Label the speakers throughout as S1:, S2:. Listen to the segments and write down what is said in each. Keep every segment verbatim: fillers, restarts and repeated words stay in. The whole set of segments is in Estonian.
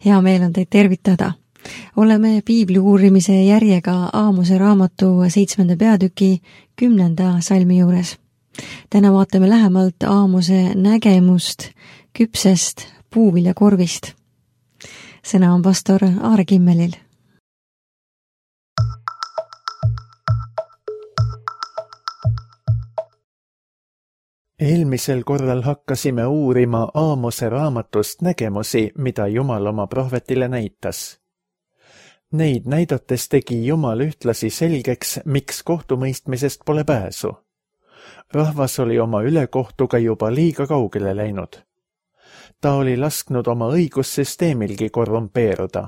S1: Hea meel on teid tervitada. Oleme piibli uurimise järjega Aamose raamatu seitsmenda peatüki kümnenda salmi juures. Täna vaatame lähemalt Aamose nägemust küpsest puuviljakorvist. Sõna on pastor Aare Kimmelil.
S2: Eelmisel korral hakkasime uurima Aamose raamatust nägemusi, mida Jumal oma prohvetile näitas. Neid näidates tegi Jumal ühtlasi selgeks, miks kohtumõistmisest pole pääsu. Rahvas oli oma ülekohtuga juba liiga kaugele läinud. Ta oli lasknud oma õigussüsteemilgi korrumpeeruda.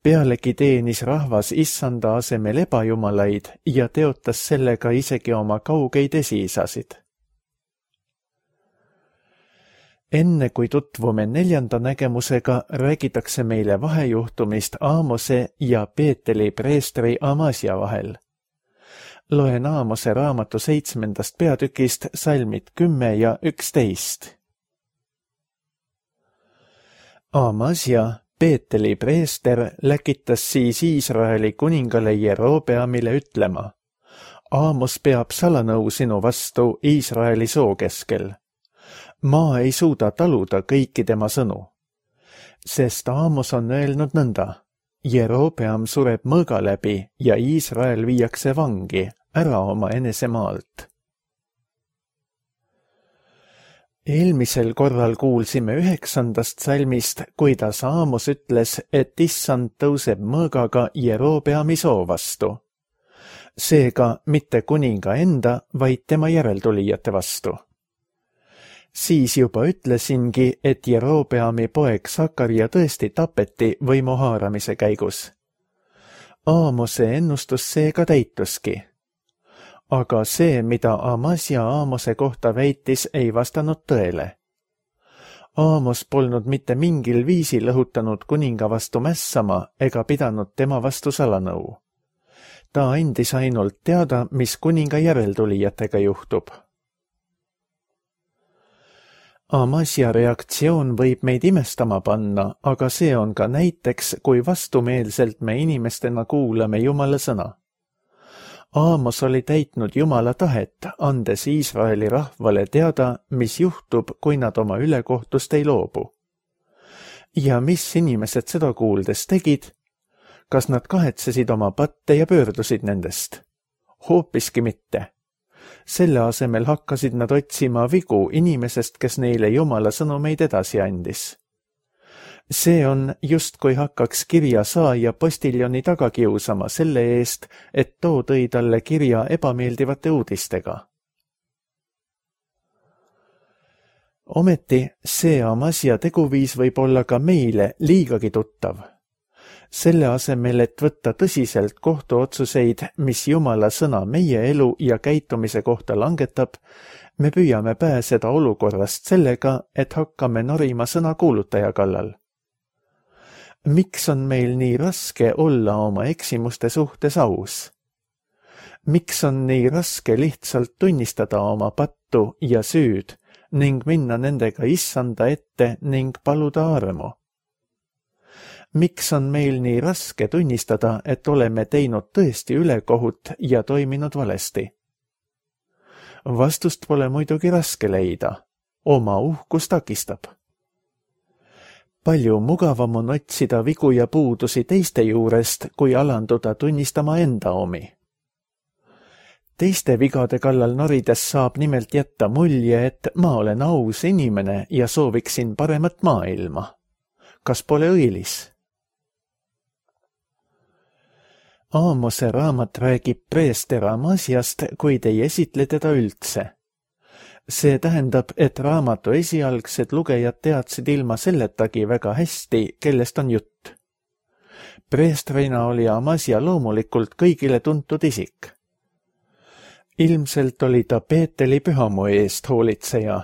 S2: Pealegi teenis rahvas issanda asemel ebajumalaid ja teotas sellega isegi oma kaugeid esiisasid. Enne kui tutvume neljanda nägemusega, räägitakse meile vahejuhtumist Aamose ja Peeteli preestri Amasia vahel. Loen Aamose raamatu seitsmendast peatükist salmid kümme ja üksteist. Amasia, Peeteli preester, läkitas siis Iisraeli kuningale Jerobeamile ütlema: Aamos peab salanõu sinu vastu Iisraeli soo keskel. Maa ei suuda taluda kõiki tema sõnu, sest Aamos on öelnud nõnda: Jerobeam sureb mõõga läbi ja Iisrael viiakse vangi ära oma enesemaalt. Eelmisel korral kuulsime üheksandast salmist, kuidas Aamos ütles, et issand tõuseb mõõgaga Jerobeami soo vastu. Seega mitte kuninga enda, vaid tema järeltulijate vastu. Siis juba ütlesingi, et Jerobeami poeg Sakaria tõesti tapeti võimu haaramise käigus. Aamose ennustus seega täituski. Aga see, mida Amasia Aamose kohta väitis, ei vastanud tõele. Aamos polnud mitte mingil viisil õhutanud kuninga vastu mässama ega pidanud tema vastu salanõu. Ta andis ainult teada, mis kuninga järeltulijatega juhtub. Amasia reaktsioon võib meid imestama panna, aga see on ka näiteks, kui vastumeelselt me inimestena kuulame Jumala sõna. Aamos oli täitnud Jumala tahet, andes Iisraeli rahvale teada, mis juhtub, kui nad oma ülekohtust ei loobu. Ja mis inimesed seda kuuldes tegid? Kas nad kahetsesid oma patte ja pöördusid nendest? Hoopiski mitte. Selle asemel hakkasid nad otsima vigu inimesest, kes neile Jumala sõnumeid edasi andis. See on justkui hakkaks kirja saaja postiljoni taga kiusama selle eest, et too tõi talle kirja ebameeldivate uudistega. Ometi see Amasia teguviis võib olla ka meile liigagi tuttav. Selle asemel, et võtta tõsiselt kohtuotsuseid, mis Jumala sõna meie elu ja käitumise kohta langetab, me püüame pääseda olukorrast sellega, et hakkame norima sõna kuulutaja kallal. Miks on meil nii raske olla oma eksimuste suhtes aus? Miks on nii raske lihtsalt tunnistada oma pattu ja süüd ning minna nendega issanda ette ning paluda armu? Miks on meil nii raske tunnistada, et oleme teinud tõesti ülekohut ja toiminud valesti? Vastust pole muidugi raske leida. Oma uhkus takistab. Palju mugavam on otsida vigu ja puudusi teiste juurest, kui alanduda tunnistama enda omi. Teiste vigade kallal norides saab nimelt jätta mulje, et ma olen aus inimene ja sooviksin paremat maailma. Kas pole õilis? Aamose raamat räägib preester Amasiast, kuid ei esitle teda üldse. See tähendab, et raamatu esialgsed lugejad teadsid ilma selletagi väga hästi, kellest on jutt. Preestrina oli Amasia loomulikult kõigile tuntud isik. Ilmselt oli ta Peeteli pühamu eest hoolitseja,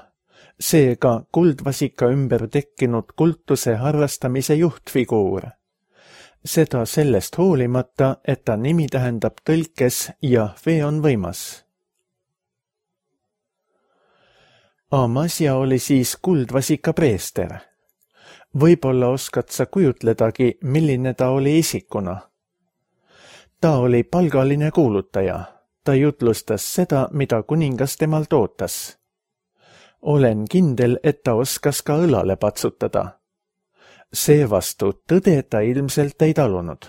S2: seega kuldvasika ümber tekkinud kultuse harrastamise juhtfiguur. Seda sellest hoolimata, et ta nimi tähendab tõlkes Jahve on võimas. Amasia oli siis kuldvasika preester. Võib-olla oskad sa kujutledagi, milline ta oli isikuna. Ta oli palgaline kuulutaja. Ta jutlustas seda, mida kuningas temalt ootas. Olen kindel, et ta oskas ka õlale patsutada. Seevastu tõde ta ilmselt ei talunud.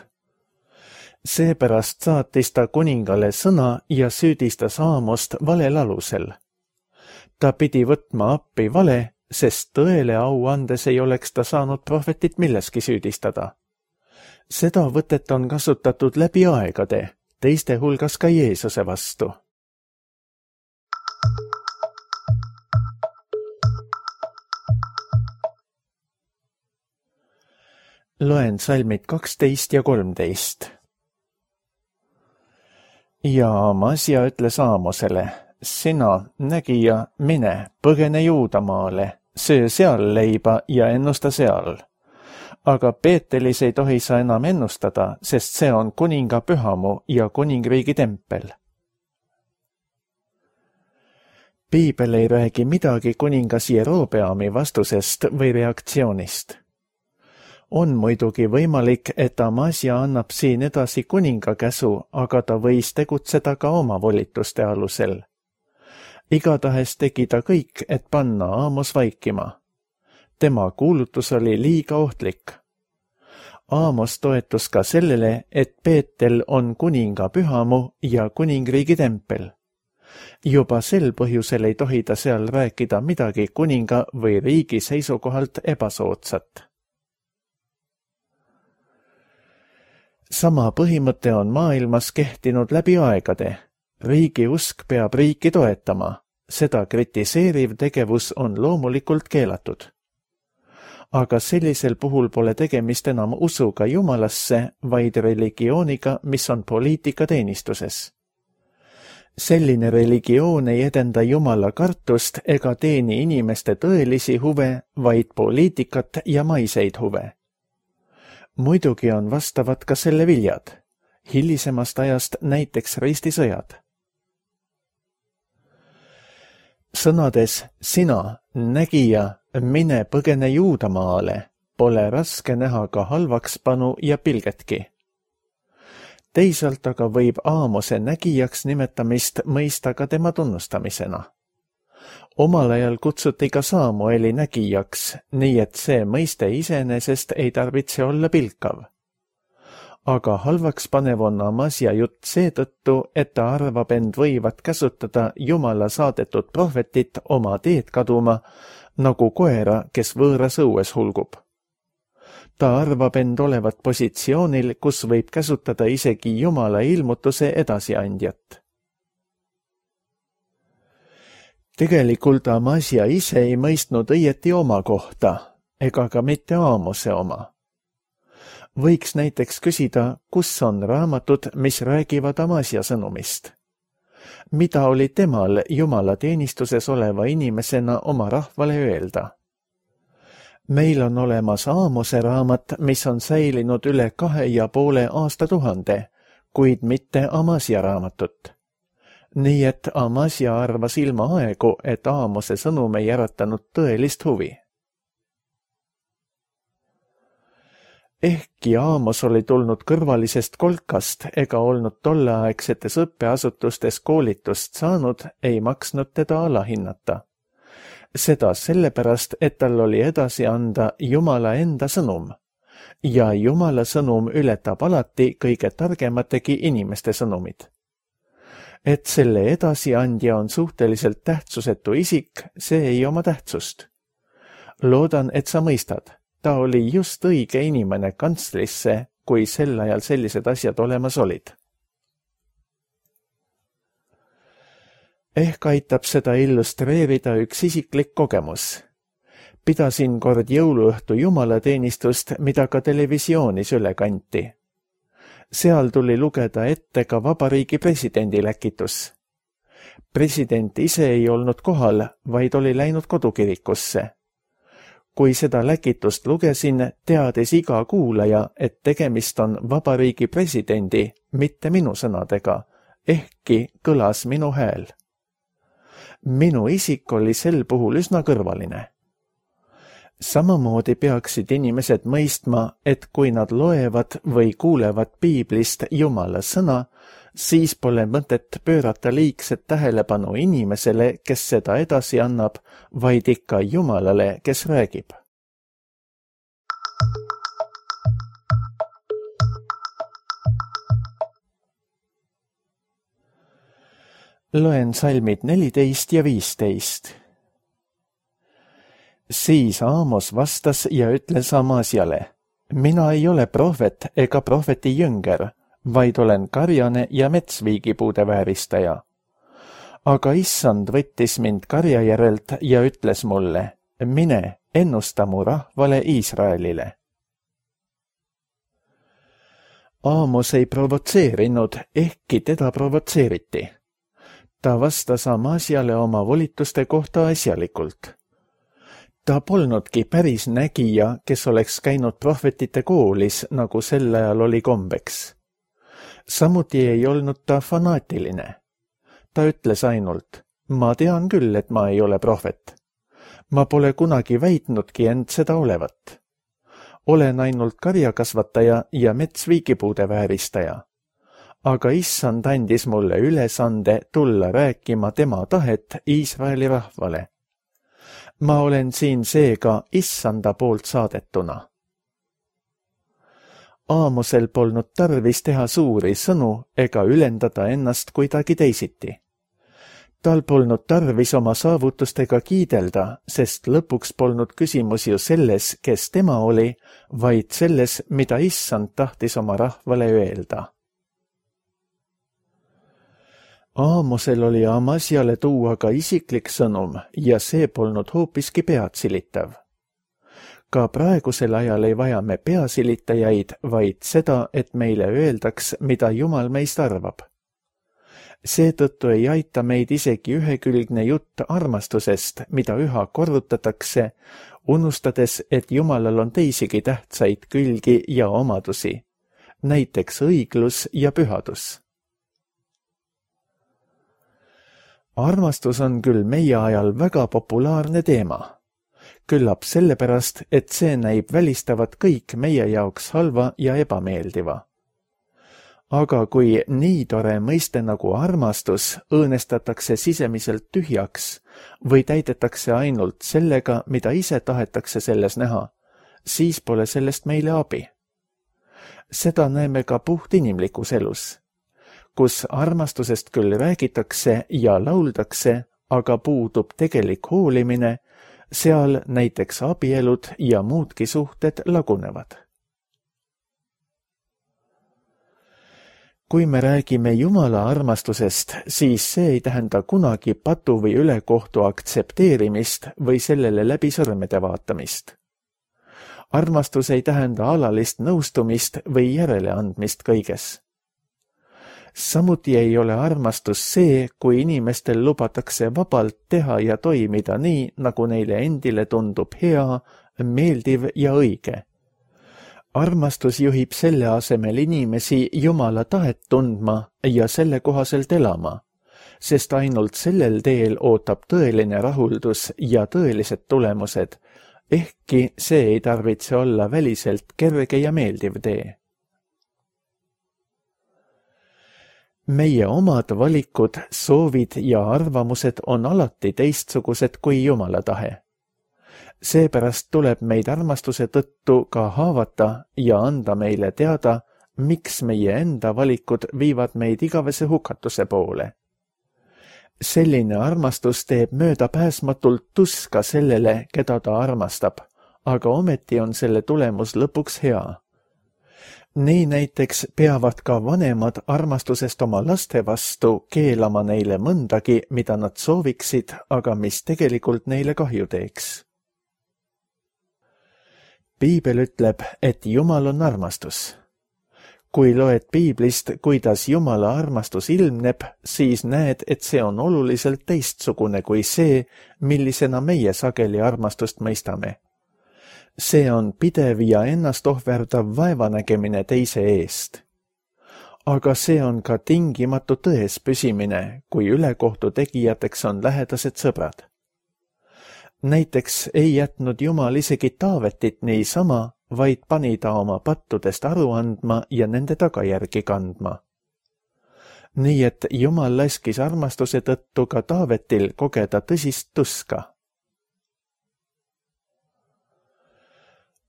S2: Seepärast saatis ta kuningale sõna ja süüdistas Aamost valel alusel. Ta pidi võtma appi vale, sest tõele au andes ei oleks ta saanud prohvetit milleski süüdistada. Seda võtet on kasutatud läbi aegade, teiste hulgas ka Jeesuse vastu. Loen salmid kaksteist ja kolmteist. Ja Amasia ütles Aamosele, sina, nägija, mine, põgene Juudamaale, söö seal leiba ja ennusta seal. Aga Peetelis ei tohi sa enam ennustada, sest see on kuninga pühamu ja kuningriigi tempel. Piibel ei räägi midagi kuningas Jerobeami vastusest või reaktsioonist. On muidugi võimalik, et Amasia annab siin edasi kuninga käsu, aga ta võis tegutseda ka oma volituste alusel. Igatahes tegi ta kõik, et panna Aamos vaikima. Tema kuulutus oli liiga ohtlik. Aamos toetus ka sellele, et Peetel on kuninga pühamu ja kuningriigi tempel. Juba sel põhjusel ei tohi ta seal rääkida midagi kuninga või riigi seisukohalt ebasoodsat. Sama põhimõte on maailmas kehtinud läbi aegade. Riigi usk peab riiki toetama. Seda kritiseeriv tegevus on loomulikult keelatud. Aga sellisel puhul pole tegemist enam usuga Jumalasse, vaid religiooniga, mis on poliitika teenistuses. Selline religioon ei edenda Jumala kartust ega teeni inimeste tõelisi huve, vaid poliitikat ja maiseid huve. Muidugi on vastavad ka selle viljad, hilisemast ajast näiteks ristisõjad. Sõnades sina, nägija, mine põgene Juudamaale, pole raske näha ka halvakspanu ja pilgetki. Teisalt aga võib Aamose nägijaks nimetamist mõista ka tema tunnustamisena. Omal ajal kutsuti ka Saamueli nägijaks, nii et see mõiste iseenesest ei tarvitse olla pilkav. Aga halvaks panev on Amasia jutt seetõttu, et ta arvab end võivat käsutada Jumala saadetud prohvetit oma teed kaduma, nagu koera, kes võõras õues hulgub. Ta arvab end olevat positsioonil, kus võib käsutada isegi Jumala ilmutuse edasiandjat. Tegelikult Amasia ise ei mõistnud õieti oma kohta, ega ka mitte Aamose oma. Võiks näiteks küsida, kus on raamatud, mis räägivad Amasia sõnumist. Mida oli temal Jumala teenistuses oleva inimesena oma rahvale öelda? Meil on olemas Aamose raamat, mis on säilinud üle kahe ja poole aastatuhande, kuid mitte Amasia raamatut. Nii et Amasia arvas ilma aegu, et Aamose sõnum ei äratanud tõelist huvi. Ehkki Aamos oli tulnud kõrvalisest kolkast ega olnud tolleaegsetes õppeasutustes koolitust saanud, ei maksnud teda alahinnata. Seda sellepärast, et tal oli edasi anda Jumala enda sõnum. Ja Jumala sõnum ületab alati kõige targemategi inimeste sõnumid. Et selle edasiandja on suhteliselt tähtsusetu isik, see ei oma tähtsust. Loodan, et sa mõistad. Ta oli just õige inimene kantslisse, kui sel ajal sellised asjad olemas olid. Ehk aitab seda illustreerida üks isiklik kogemus. Pidasin kord jõuluõhtu jumalateenistust, mida ka televisioonis üle kanti. Seal tuli lugeda ette ka vabariigi presidendi läkitus. President ise ei olnud kohal, vaid oli läinud kodukirikusse. Kui seda läkitust lugesin, teadis iga kuulaja, et tegemist on vabariigi presidendi, mitte minu sõnadega, ehkki kõlas minu hääl. Minu isik oli sel puhul üsna kõrvaline. Samamoodi peaksid inimesed mõistma, et kui nad loevad või kuulevad piiblist Jumala sõna, siis pole mõtet pöörata liigset tähelepanu inimesele, kes seda edasi annab, vaid ikka Jumalale, kes räägib. Loen salmid neliteist ja viisteist. Siis Aamos vastas ja ütles Amasiale, mina ei ole prohvet ega prohveti jünger, vaid olen karjane ja metsviigipuude vääristaja. Aga issand võttis mind karja järelt ja ütles mulle, mine, ennusta mu rahvale Iisraelile. Aamos ei provotseerinud, ehkki teda provotseeriti. Ta vastas Amasiale oma volituste kohta asjalikult. Ta polnudki päris nägija, kes oleks käinud prohvetite koolis, nagu sel ajal oli kombeks. Samuti ei olnud ta fanaatiline. Ta ütles ainult, ma tean küll, et ma ei ole prohvet. Ma pole kunagi väitnudki end seda olevat. Olen ainult karjakasvataja ja metsviigipuude vääristaja. Aga issand andis mulle ülesande tulla rääkima tema tahet Iisraeli rahvale. Ma olen siin seega issanda poolt saadetuna. Aamosel polnud tarvis teha suuri sõnu ega ülendada ennast kuidagi teisiti. Tal polnud tarvis oma saavutustega kiidelda, sest lõpuks polnud küsimus ju selles, kes tema oli, vaid selles, mida issand tahtis oma rahvale öelda. Aamosel oli Amasiale tuua ka isiklik sõnum ja see polnud hoopiski peatsilitav. Ka praegusel ajal ei vaja me peasilitajaid, vaid seda, et meile öeldaks, mida Jumal meist arvab. Seetõttu ei aita meid isegi ühekülgne jutt armastusest, mida üha korrutatakse, unustades, et Jumalal on teisigi tähtsaid külgi ja omadusi, näiteks õiglus ja pühadus. Armastus on küll meie ajal väga populaarne teema. Küllap sellepärast, et see näib välistavat kõik meie jaoks halva ja ebameeldiva. Aga kui nii tore mõiste nagu armastus õõnestatakse sisemiselt tühjaks või täidetakse ainult sellega, mida ise tahetakse selles näha, siis pole sellest meile abi. Seda näeme ka puht inimlikus elus, kus armastusest küll räägitakse ja lauldakse, aga puudub tegelik hoolimine, seal näiteks abielud ja muudki suhted lagunevad. Kui me räägime Jumala armastusest, siis see ei tähenda kunagi patu või ülekohtu aktsepteerimist või sellele läbi sõrmede vaatamist. Armastus ei tähenda alalist nõustumist või järeleandmist kõiges. Samuti ei ole armastus see, kui inimestel lubatakse vabalt teha ja toimida nii, nagu neile endile tundub hea, meeldiv ja õige. Armastus juhib selle asemel inimesi Jumala tahet tundma ja selle kohaselt elama, sest ainult sellel teel ootab tõeline rahuldus ja tõelised tulemused, ehkki see ei tarvitse olla väliselt kerge ja meeldiv tee. Meie omad valikud, soovid ja arvamused on alati teistsugused kui Jumala tahe. Seepärast tuleb meid armastuse tõttu ka haavata ja anda meile teada, miks meie enda valikud viivad meid igavese hukatuse poole. Selline armastus teeb möödapääsmatult tuska sellele, keda ta armastab, aga ometi on selle tulemus lõpuks hea. Nii näiteks peavad ka vanemad armastusest oma laste vastu keelama neile mõndagi, mida nad sooviksid, aga mis tegelikult neile kahju teeks. Piibel ütleb, et Jumal on armastus. Kui loed piiblist, kuidas Jumala armastus ilmneb, siis näed, et see on oluliselt teistsugune kui see, millisena meie sageli armastust mõistame. See on pidev ja ennast ohverdav vaevanägemine teise eest. Aga see on ka tingimatu tões püsimine, kui ülekohtu tegijateks on lähedased sõbrad. Näiteks ei jätnud Jumal isegi Taavetit niisama, vaid pani ta oma pattudest aru andma ja nende tagajärgi kandma. Nii et Jumal laskis armastuse tõttu ka Taavetil kogeda tõsist tuska.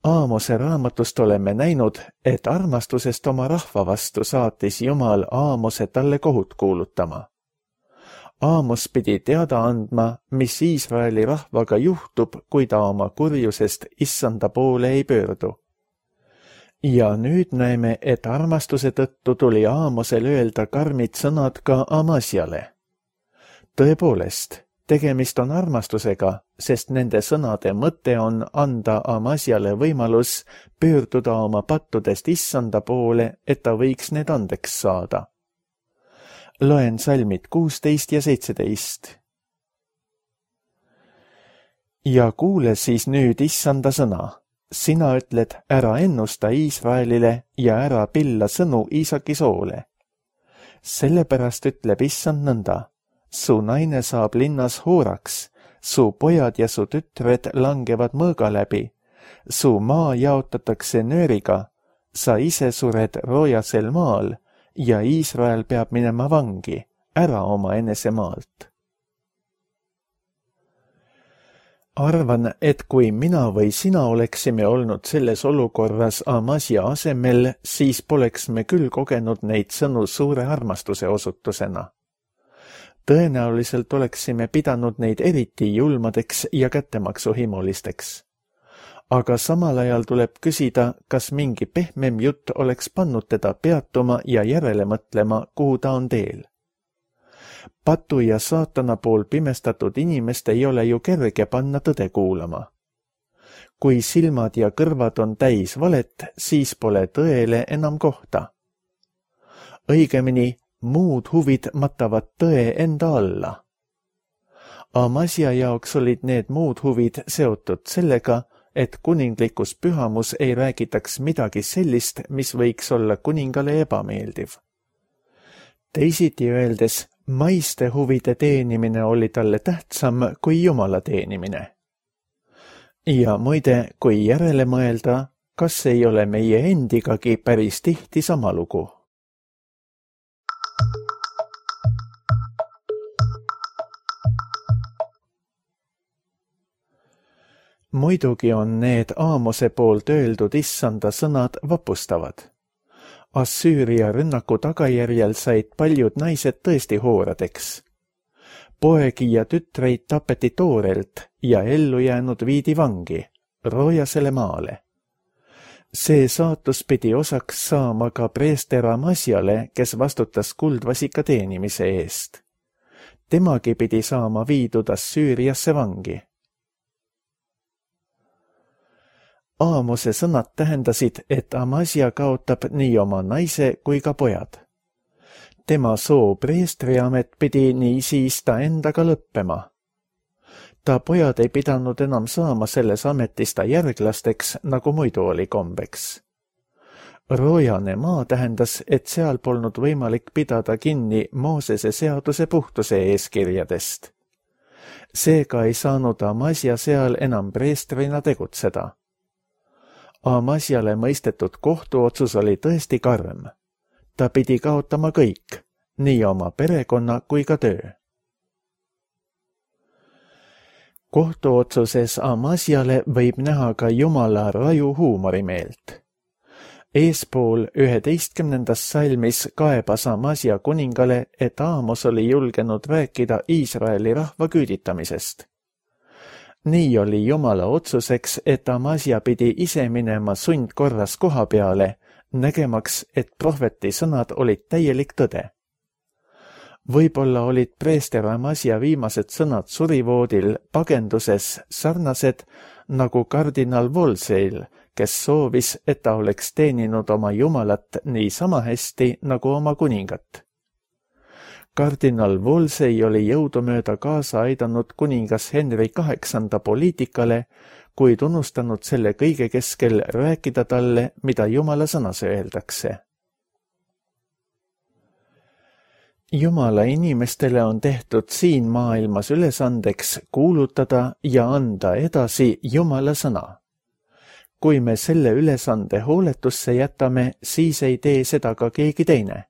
S2: Aamose raamatust oleme näinud, et armastusest oma rahva vastu saatis Jumal Aamose talle kohut kuulutama. Aamos pidi teada andma, mis Iisraeli rahvaga juhtub, kui ta oma kurjusest issanda poole ei pöördu. Ja nüüd näeme, et armastuse tõttu tuli Aamosel öelda karmid sõnad ka Amasiale. Tõepoolest, tegemist on armastusega, sest nende sõnade mõte on anda Amasiale võimalus pöörduda oma pattudest issanda poole, et ta võiks need andeks saada. Loen salmid kuusteist ja seitseteist. Ja kuule siis nüüd issanda sõna. Sina ütled, ära ennusta Iisraelile ja ära pilla sõnu Iisaki soole. Sellepärast ütleb issand nõnda. Su naine saab linnas hooraks, su pojad ja su tütred langevad mõõga läbi, su maa jaotatakse nööriga, sa ise sured roojasel maal ja Iisrael peab minema vangi, ära oma enese maalt. Arvan, et kui mina või sina oleksime olnud selles olukorras Amasia asemel, siis poleks me küll kogenud neid sõnu suure armastuse osutusena. Tõenäoliselt oleksime pidanud neid eriti julmadeks ja kättemaksuhimulisteks. Aga samal ajal tuleb küsida, kas mingi pehmem jutt oleks pannud teda peatuma ja järele mõtlema, kuhu ta on teel. Patu ja saatana pool pimestatud inimest ei ole ju kerge panna tõde kuulama. Kui silmad ja kõrvad on täis valet, siis pole tõele enam kohta. Õigemini, muud huvid matavad tõe enda alla. Amasia jaoks olid need muud huvid seotud sellega, et kuninglikus pühamus ei räägitaks midagi sellist, mis võiks olla kuningale ebameeldiv. Teisiti öeldes, maiste huvide teenimine oli talle tähtsam kui Jumala teenimine. Ja muide, kui järele mõelda, kas ei ole meie endigagi päris tihti sama lugu? Muidugi on need Aamose poolt öeldud issanda sõnad vapustavad. Assüüria rünnaku tagajärjel said paljud naised tõesti hooradeks. Poegi ja tütreid tapeti toorelt ja ellu jäänud viidi vangi, roojasele maale. See saatus pidi osaks saama ka preester Amasiale, kes vastutas kuldvasika teenimise eest. Temagi pidi saama viidud Assüüriasse vangi. Aamose sõnad tähendasid, et Amasia kaotab nii oma naise kui ka pojad. Tema soo preestriamet pidi nii siis ta endaga lõppema. Ta pojad ei pidanud enam saama selles ametis ta järglasteks, nagu muidu oli kombeks. Roojane maa tähendas, et seal polnud võimalik pidada kinni Moosese seaduse puhtuse eeskirjadest. Seega ei saanud Amasia seal enam preestrina tegutseda. Amasiale mõistetud kohtuotsus oli tõesti karm. Ta pidi kaotama kõik, nii oma perekonna kui ka töö. Kohtuotsuses Amasiale võib näha ka Jumala raju huumorimeelt. Eespool üheteistkümnendas salmis kaebas Amasia kuningale, et Aamos oli julgenud rääkida Iisraeli rahva küüditamisest. Nii oli Jumala otsuseks, et Amasia pidi ise minema sundkorras koha peale, nägemaks, et prohveti sõnad olid täielik tõde. Võib-olla olid preester Amasia viimased sõnad surivoodil pagenduses sarnased nagu kardinal Wolsey'l, kes soovis, et ta oleks teeninud oma Jumalat nii sama hästi nagu oma kuningat. Kardinal Wolsey oli jõudumööda kaasa aidanud kuningas Henry kaheksanda poliitikale, kuid unustanud selle kõige keskel rääkida talle, mida Jumala sõnas öeldakse. Jumala inimestele on tehtud siin maailmas ülesandeks kuulutada ja anda edasi Jumala sõna. Kui me selle ülesande hooletusse jätame, siis ei tee seda ka keegi teine.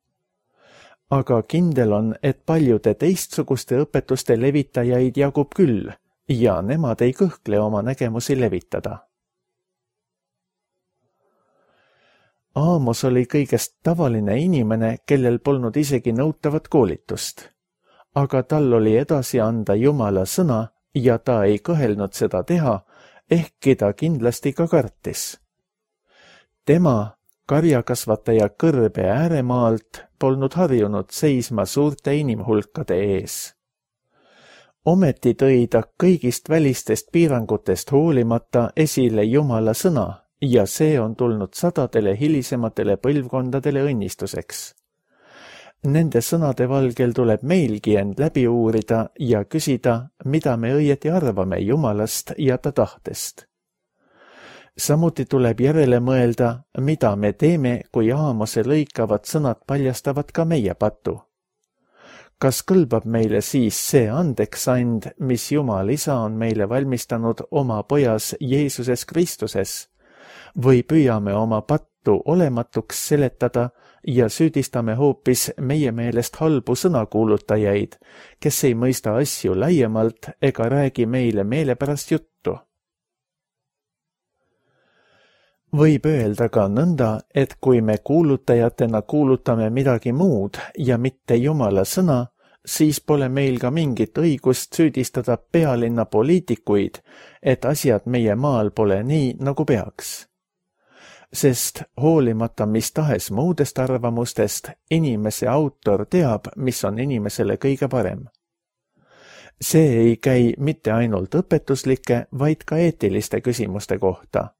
S2: Aga kindel on, et paljude teistsuguste õpetuste levitajaid jagub küll ja nemad ei kõhkle oma nägemusi levitada. Aamos oli kõigest tavaline inimene, kellel polnud isegi nõutavat koolitust. Aga tal oli edasi anda Jumala sõna ja ta ei kõhelnud seda teha, ehkki ta kindlasti ka kartis. Tema, karjakasvataja kõrbe ääremaalt, polnud harjunud seisma suurte inimhulkade ees. Ometi tõi ta kõigist välistest piirangutest hoolimata esile Jumala sõna ja see on tulnud sadadele hilisematele põlvkondadele õnnistuseks. Nende sõnade valgel tuleb meilgi end läbi uurida ja küsida, mida me õieti arvame Jumalast ja ta tahtest. Samuti tuleb järele mõelda, mida me teeme, kui Aamose lõikavad sõnad paljastavad ka meie patu. Kas kõlbab meile siis see andeksand, mis Jumal Isa on meile valmistanud oma pojas Jeesuses Kristuses, või püüame oma pattu olematuks seletada ja süüdistame hoopis meie meelest halbu sõnakuulutajaid, kes ei mõista asju laiemalt ega räägi meile meelepärast juttu? Võib öelda ka nõnda, et kui me kuulutajatena kuulutame midagi muud ja mitte Jumala sõna, siis pole meil ka mingit õigust süüdistada pealinna poliitikuid, et asjad meie maal pole nii, nagu peaks. Sest hoolimata mis tahes muudest arvamustest, inimese autor teab, mis on inimesele kõige parem. See ei käi mitte ainult õpetuslike, vaid ka eetiliste küsimuste kohta.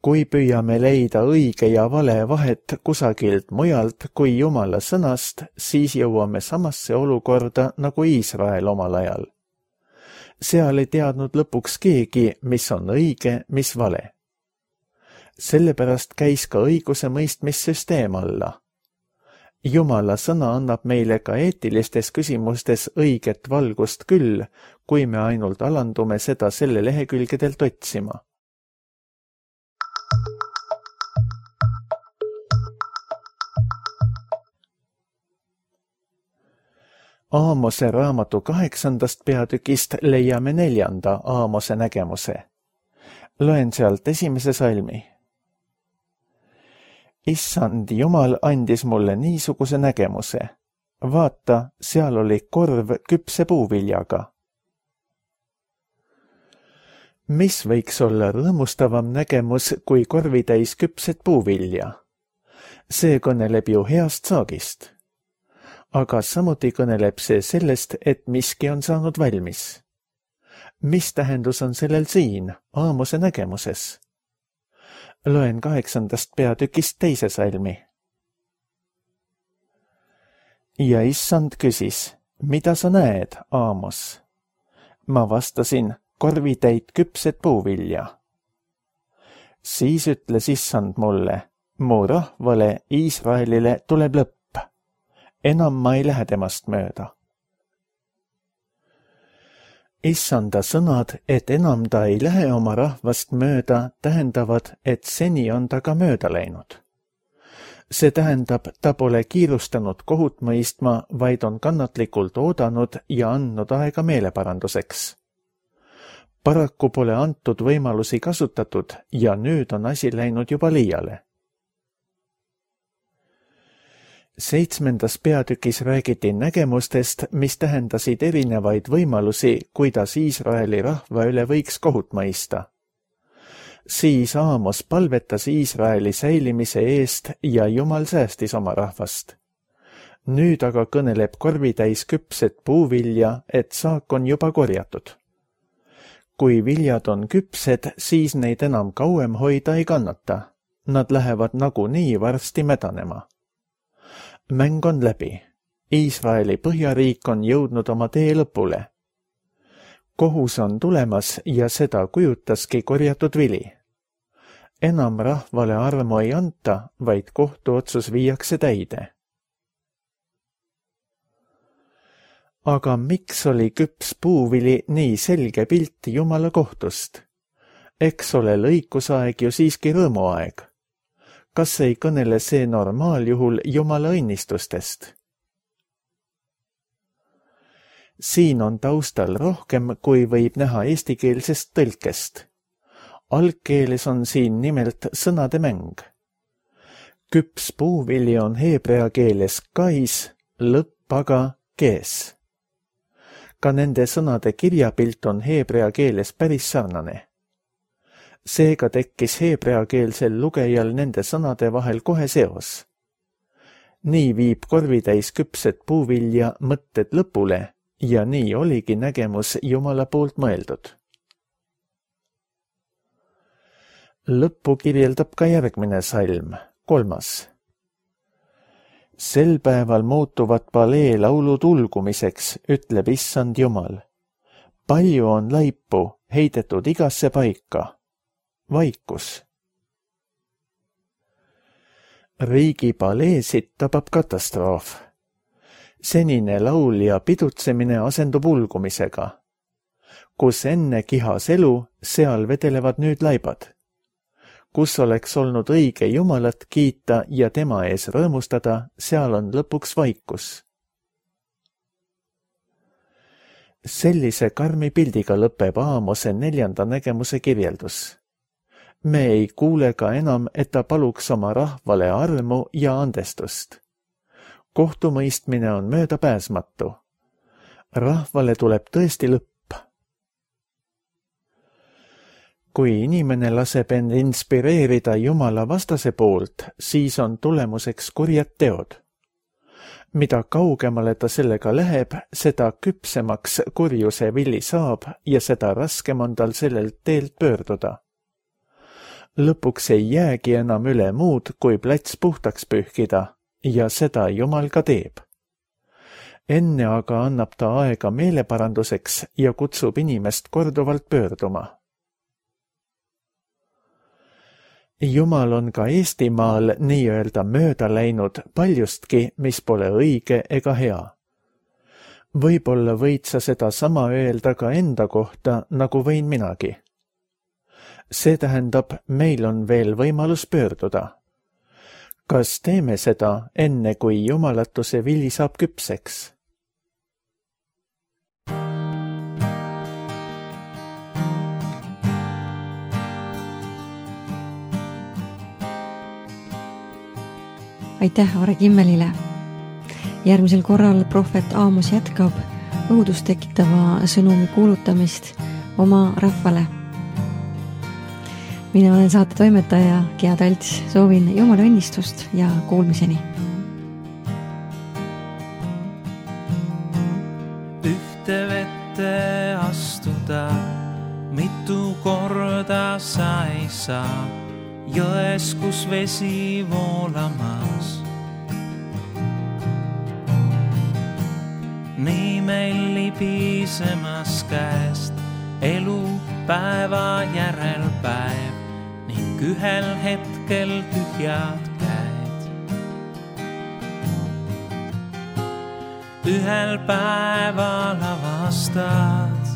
S2: Kui püüame leida õige ja vale vahet kusagilt mujalt kui Jumala sõnast, siis jõuame samasse olukorda nagu Iisrael omal ajal. Seal ei teadnud lõpuks keegi, mis on õige, mis vale. Sellepärast käis ka õiguse mõistmissüsteem alla. Jumala sõna annab meile ka eetilistes küsimustes õiget valgust küll, kui me ainult alandume seda selle lehekülgedelt otsima. Aamose raamatu kaheksandast peatükist leiame neljanda Aamose nägemuse. Loen sealt esimese salmi. Issand Jumal andis mulle niisuguse nägemuse. Vaata, seal oli korv küpse puuviljaga. Mis võiks olla rõõmustavam nägemus kui korvitäis küpset puuvilja? See kõneleb ju heast saagist. Aga samuti kõneleb see sellest, et miski on saanud valmis. Mis tähendus on sellel siin, Aamose nägemuses? Loen kaheksandast peatükist teise salmi. Ja issand küsis, mida sa näed, Aamos? Ma vastasin, korvitäit küpset puuvilja. Siis ütles issand mulle, mu rahvale Iisraelile tuleb lõpp. Enam ma ei lähe temast mööda. Issanda sõnad, et enam ta ei lähe oma rahvast mööda, tähendavad, et seni on ta ka mööda läinud. See tähendab, ta pole kiirustanud kohut mõistma, vaid on kannatlikult oodanud ja andnud aega meeleparanduseks. Paraku pole antud võimalusi kasutatud ja nüüd on asi läinud juba liiale. Seitsmendas peatükis räägiti nägemustest, mis tähendasid erinevaid võimalusi, kuidas Iisraeli rahva üle võiks kohut mõista. Siis Aamos palvetas Iisraeli säilimise eest ja Jumal säästis oma rahvast. Nüüd aga kõneleb korvitäis küpset puuvilja, et saak on juba korjatud. Kui viljad on küpsed, siis neid enam kauem hoida ei kannata. Nad lähevad nagunii varsti mädanema. Mäng on läbi. Iisraeli põhjariik on jõudnud oma tee lõpule. Kohus on tulemas ja seda kujutaski korjatud vili. Enam rahvale armu ei anta, vaid kohtuotsus viiakse täide. Aga miks oli küps puuvili nii selge pilt Jumala kohtust? Eks ole lõikusaeg ju siiski rõõmuaeg. Kas ei kõnele see normaaljuhul Jumala õnnistustest? Siin on taustal rohkem, kui võib näha eestikeelsest tõlkest. Algkeeles on siin nimelt sõnade mäng. Küps puuvili on heebrea keeles kais, lõpp aga kees. Ka nende sõnade kirjapilt on heebrea keeles päris sarnane. Seega tekkis heebreakeelsel lugejal nende sõnade vahel kohe seos. Nii viib korvitäis küpset puuvilja mõtted lõpule ja nii oligi nägemus Jumala poolt mõeldud. Lõppu kirjeldab ka järgmine salm, kolmas. Sel päeval muutuvad palee laulud ulgumiseks, ütleb issand Jumal. Palju on laipu heidetud igasse paika. Vaikus. Riigi paleesid tabab katastroof. Senine laul ja pidutsemine asendub ulgumisega. Kus enne kihas elu, seal vedelevad nüüd laibad. Kus oleks olnud õige Jumalat kiita ja tema ees rõõmustada, seal on lõpuks vaikus. Sellise karmi pildiga lõpeb Aamose neljanda nägemuse kirjeldus. Me ei kuule ka enam, et ta paluks oma rahvale armu ja andestust. Kohtumõistmine on möödapääsmatu. Rahvale tuleb tõesti lõpp. Kui inimene laseb end inspireerida Jumala vastase poolt, siis on tulemuseks kurjad teod. Mida kaugemale ta sellega läheb, seda küpsemaks kurjuse vili saab ja seda raskem on tal sellelt teelt pöörduda. Lõpuks ei jäägi enam üle muud, kui plats puhtaks pühkida ja seda Jumal ka teeb. Enne aga annab ta aega meeleparanduseks ja kutsub inimest korduvalt pöörduma. Jumal on ka Eestimaal nii-öelda mööda läinud paljustki, mis pole õige ega hea. Võib-olla võid sa seda sama öelda ka enda kohta, nagu võin minagi. See tähendab, meil on veel võimalus pöörduda. Kas teeme seda enne, kui jumalatuse vili saab küpseks?
S1: Aitäh Are Kimmelile. Järgmisel korral prohvet Aamos jätkab õudust tekitava sõnumi kuulutamist oma rahvale. Mina olen saate toimetaja Gea Talts, soovin Jumala õnnistust ja kuulmiseni.
S3: Ühte vette astuda, mitu korda sa ei saa, jões, kus vesi voolamas. Nii meil libisemas käest elu päeva järel päev ning ühel hetkel tühjad käed. Ühel päeval avastad,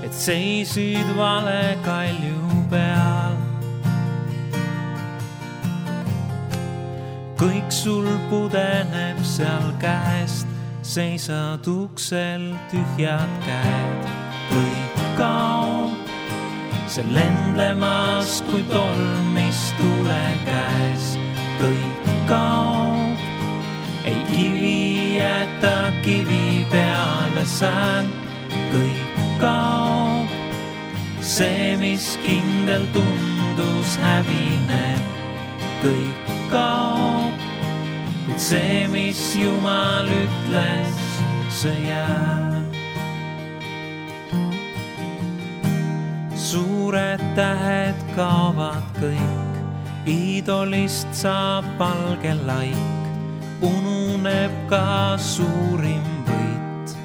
S3: et seisid vale kalju peal. Kõik sul pudeneb seal käest, seisad uksel tühjad käed. Kõik kaob, see lendlemas kui tolm, mis tule käes. Kõik kaob, ei kivi jäta kivi peale sään. Kõik kaob, see, mis kindel tundus hävineb. Kõik kaob, kuid see, mis Jumal ütles, see jääb. Suured tähed kaovad kõik, iidolist saab valge laik, ununeb ka suurim võit.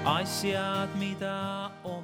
S3: Asjad, mida on